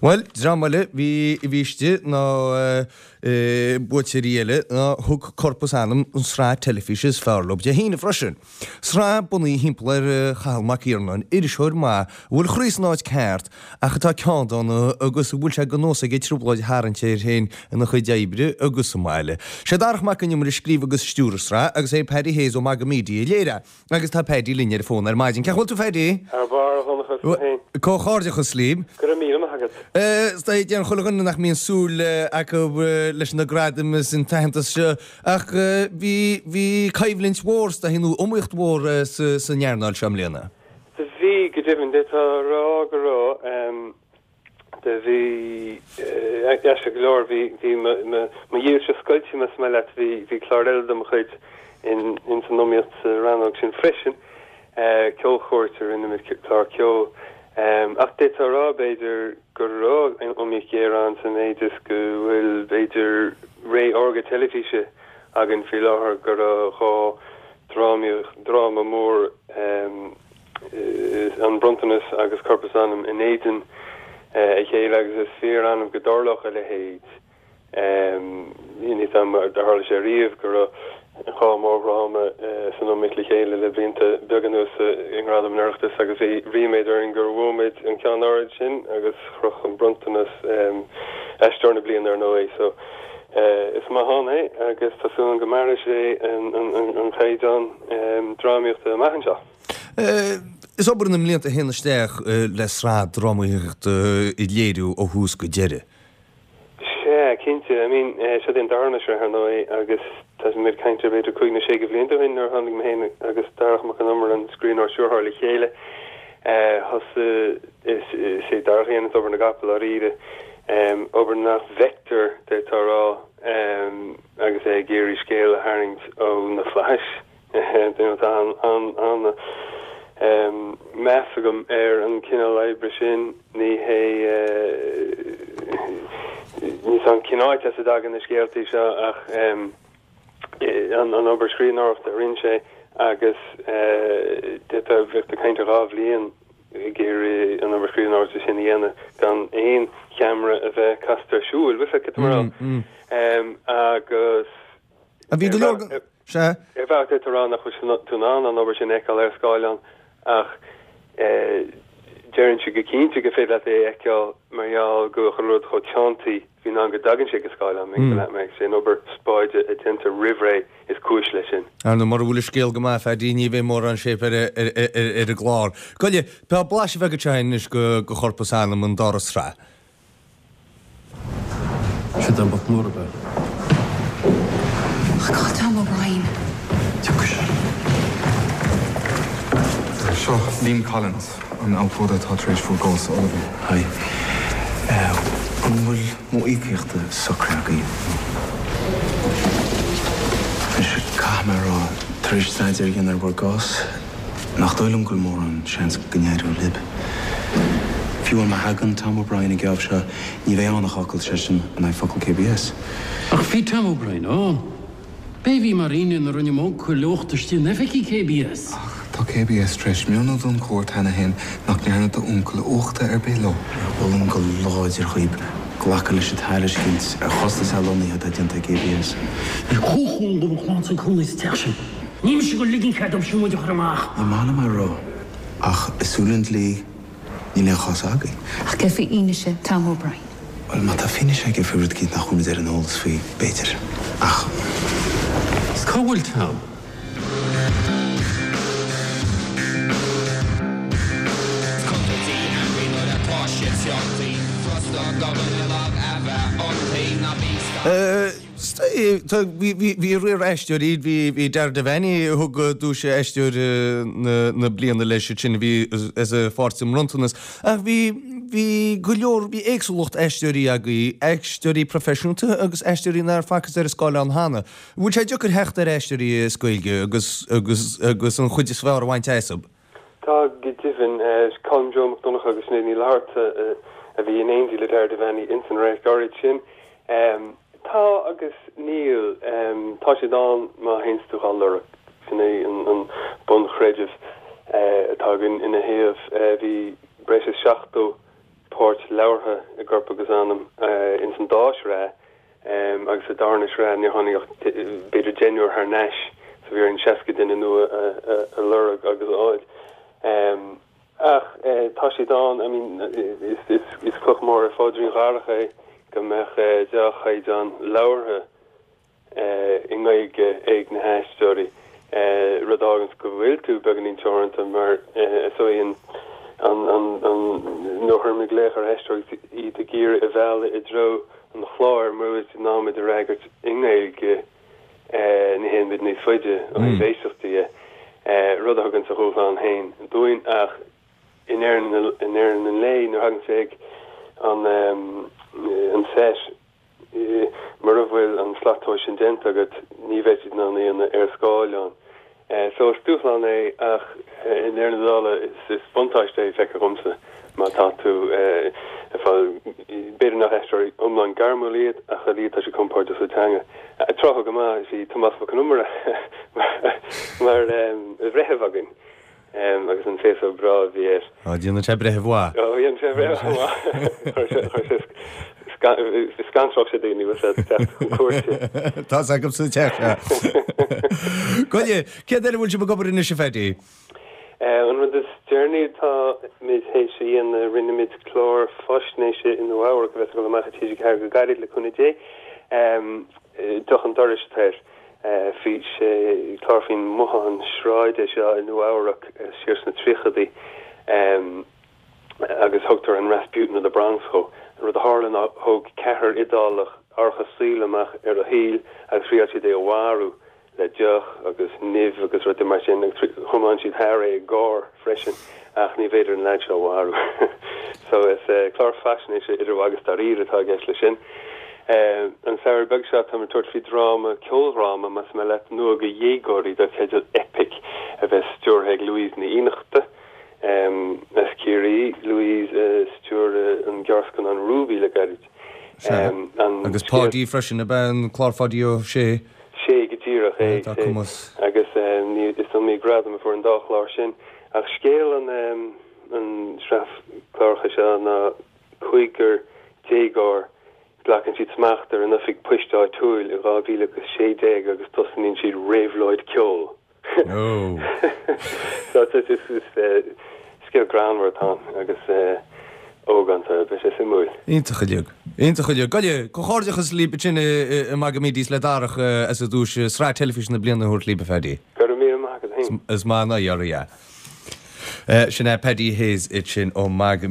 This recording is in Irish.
Bhuel, dream eile bhí a bhí istigh ná buaiteoirí eile ná thug Corp is Anam an sraith teilifíse is fearr leo Dé hAoine freisin. Sraith bunaithe thimpeall ar Chathal Mac Iarnáin, iriseoir maith a bhfuil a chroí san áit ceart ach atá ceanndána agus a bhfuil sé de nós aige trioblóid a tharraingt air féin ina chuid oibre agus sa mbaile. Sé Darach Mac Con Iomaire a scríobh agus a stiúir an sraith agus é Paddy Hayes ó Maga Media a léirigh é. Agus tá Paddy linn ar an bhfón ar maidin. Cén chaoi a bhfuil tú, Phaddy? Thar barr, a Dhonncha, is tú féin? Comhghairdeachas libh. Go raibh míle maith agat. Is dóigh, deireann chuile dhuine nach mbíonn súil acu leis na gradaim is an t-aitheantas seo, ach bhí, bhí coimhlint mhór, is dóigh, nó iomaíocht mhór san earnáil seo i mbliana. Bhí, go deimhin, d'fhéadfá a rá go raibh. Do bhí, aisteach go leor, bhí, bhí mo, mo, mo dhílse scoilte, más maith leat, bhí, bhí clár eile de mo chuid in, ins an iomaíocht sa rannóg sin freisin, Ceolchuairt a rinne muid, clár ceoil. Ach d'fhéadfá a rá, b'fhéidir, go raibh iomaíocht ghéar ann sa mhéid is go bhfuil, b'fhéidir, ré órga teilifíse againn faoi láthair, go raibh drámaíocht, dráma mór, An Bronntanas agus Corp is Anam in éadan a chéile agus is fíor-annamh go dtarlódh a leithéid. Níl 'fhios a'm ar tharla sé riamh go raibh dhá mhórdhráma san iomaíocht le chéile le blianta beaga anuas i nGradaim an Oireachtais agus bhí ríméad orainn gur bhuaigh muid an ceann áirid sin agus chroch An Bronntanas Aisteoir na Bliana ar ndóigh. So is maith ann é agus tá súil agam go mairfidh sé an caighdeán drámaíochta amach anseo. Is obair na mblianta a théann isteach le sraith drámaíochta a léiriú ó thús go deireadh. Sea, cinnte. I mean, seo é an darna sraith, ar ndóigh, agus tá muid ag caint ar b'fhéidir cúig nó sé de bhlianta ó shin nuair a tháinig mé féin agus Darach Mac Con Iomaire, an scríbhneoir stiúrthóir, le chéile. Thosaigh, is é Darach a dhéananns obair na gcapall, dáiríre, obair nach bhfeictear, d'fhéadfá a rá, agus é ag iarraidh scéal a tharraingt ó na flaithis. Tá an-mheas agam ar an chineál oibre sin. Ní hé, níl 'fhios a'm cén áit as a dtagann na scéaltaí seo ach an obair scríbhneoireachta a rinne sé agus d'fhéadfá bheith ag caint ar dhá bhliain ag iarraidh an obair scríbhneoireachta sin a dhéanamh gan aon cheamara a bheith casta ar siúl, bhfuil 'fhios agat cad tá mé a rá? Agus. Bhí go leor. Sea. Ar bhealach d'fhéadfá a rá nach bhfuil tú in ann an obair sin a fheiceáil ar scáileán ach déarfainnse go cinnte gur féidir leat é a fheiceáil mar gheall go bhfuil chuile rud chomh teanntaí faoin am go dtagann sé go scáileán. Is é an obair spáide a déantar roimh ré is cúis leis sin. Ar ndóigh, mura bhfuil an scéal go maith, a Phaddy, ní bheidh mórán shape ar an gclár. Gabh i leith, tá blaiseadh beag anseo anois de Chorp is Anam, an dara sraith. Sin don boc mór ab ea? Oh God, Tom O'Brien. Tiocfaidh sé. Seo Liam Collins, an abhcóide atá tar éis bhur gcás a ullmhú. Hi. An bhfuil m'íocaíocht socraithe agaibh? Anois, caithfidh mé a rá, tar éis staidéar a dhéanamh ar bhur gcás, Nach dóigh liom go bhfuil mórán seans go n-éireoidh libh. Fiú amháin má thagann Tom O'Brien an geábh seo, ní bheidh ann ach fhocal seisean in aghaidh focal KBS. Ach bhí Tom O'Brien ann. B'é a bhí mar fhínné nuair a rinne m'uncail uachtar istigh in oifigí KBS. Ach tá KBS tar éis mionnú don chúirt cheana féin nach ndearna d'uncail uachta ar bith leo. Molaim go láidir dhaoib glacadh leis an tairiscint ar chostas athlonnaithe atá déanta ag KBS. Bhí comhchúl go bhfuil clann san cónaí sa teach sin. Ní mise ag ligean cead dóibh sin muid a chur amach. Ní maith liom é a rá, ach i súile an dlí, níl aon chás againn. Ach céard faoi fhianaise Tom O'Brien? Bhuel, má tá fianaise aige faoi rud eicínt nach bhfuil muid ar an eolas faoi, b'fhéidir. Ach. Is cá bhfuil Tom? Bhí riar aisteoirí, bhí Dara Devaney a thug duais aisteoir na bliana leis ansin, a bhí as a pháirt sa mBronntanas. Ach bhí, bhí go leor, bhí éagsúlacht aisteoirí agaibh, aisteoirí proifisiúnta agus aisteoirí nár facthas ar an scáileán cheana. Bhfuil sé deacair theacht ar aisteoirí as Gaeilge agus, agus, agus an chuid is fearr a bhaint astu? Tá, go deimhin. Colm Joe Mac Donncha agus Sinéad Ní Fhlatharta a bhí in éindí le Dara Devaney ins an radharc áirid sin. Tá agus níl. Tá siad ann má théanns tú dhá lorg. Sin é an bunchreideamh atá againn ina thaobh. Bhí breis is 70. páirt labhartha i gCorp agus Anam ins an dá shraith agus sa darna sraith níor tháinig ach b'fhéidir deichniúr thar n-ais so bhí orainn 60 duine nua a lorg agus a fháil. Ach tá siad ann, I mean is cloch mhór ar phaidrín Dharach é go mbeadh dea-chaighdeán labhartha i nGaeilge ag na haisteoirí, rud a fháganns go bhfuil tú beagáinín teoranta mar is dóigh an nuair a chuirimid glaoch ar aisteoirí agus iad ag iarraidh a mhealladh i dtreo an chláir mura bhfuil siad in ann muid a fhreagairt i nGaeilge ní théann muid níos faide ó thaobh éisteachta dhe, rud a thuganns a dhúshlán féin dúinn ach i ndeireadh an lae nuair a thagann sé ag an set Mura bhfuil an slat tomhais sin déanta agat, ní bheidh siad in ann é a dhéanamh ar scáileán. So is dúshlán é ach i ndeireadh na dála is buntáiste é, feictear dhomsa, má tá tú ag fáil, b'fhéidir nach aisteoirí iomlán gairmiúil iad ach ar a laghad tá siad compordach sa teanga. Tráth go maith bhí Tomás Mac Con Iomaire mar bhreitheamh againn. Agus an féasóg breá a bhí air. Á, déanann sé breitheamh mhaith. Ó, dhéanann sé breitheamh mhaith. Chuir sé, scanródh sé daoine, bhfuil sé ag teacht chun cúirte. Tá's agamsa teach, sea. Gabh i leith, céard air a bhfuil sibh ag obair anois, a Phaddy? An rud is deireanaí atá muid théis a dhéanamh, rinne muid clár faisnéise i Nua-Eabhrac a bheas ag dul amach ar TG4 go gairid, le cúnamh Dé. Deoch an Dorais atá air. Bhí sé clár faoin mbothán sráide seo i Nua Eabhrac siar sna tríochadaí agus thugtar an Rasputin of the Bronx dhó. An rud a tharla ná thóg ceathrar Iodálach árachas saoil amach ar a shaol agus thriail siad é a mharú le deoch agus nimh agus rudaí mar sin agus thiomáin siad thar é i gcarr freisin ach ní bhféidir an leaid seo a mharú. So is clár faisnéise idir mhagadh is dáiríre atá i gceist leis sin. An samhradh beag seo táim ag tabhairt faoi dráma, ceoldráma más maith leat, nua do dhéagóirí dar teideal Eipic a bheas stiúrtha ag Louise Ní Fhiannachta as Ciarraí. Louise a stiúraigh an gearrscannán Ruby le gairid. Sea. Agus Páidí freisin, ab ea an clár Pháidí Ó Sé? Sé go díreach é. Tá cumas. Agus is iomaí gradam a fuair an dá chlár sin. Ach scéal an an sraith cláracha seo ná cúigear déagóir, glacann siad smacht ar an oifig poist áitiúil i 2016 agus tosnaíonn siad réabhlóid ceoil. Oh. So is scéal greannmhar atá ann agus ógánta, beidh sé suimiúil. Iontach uilig. Iontach uilig. Gabh i leith, comhghairdeachas libh ansin i Magamedia is le Darach as an duais Sraith Teilifíse na Bliana a thabhairt libh, a Phaddy. Go raibh míle maith agat féin. Is maith an oidhe oraibh é. Sin é Paddy Hayes ansin ó Magamedia.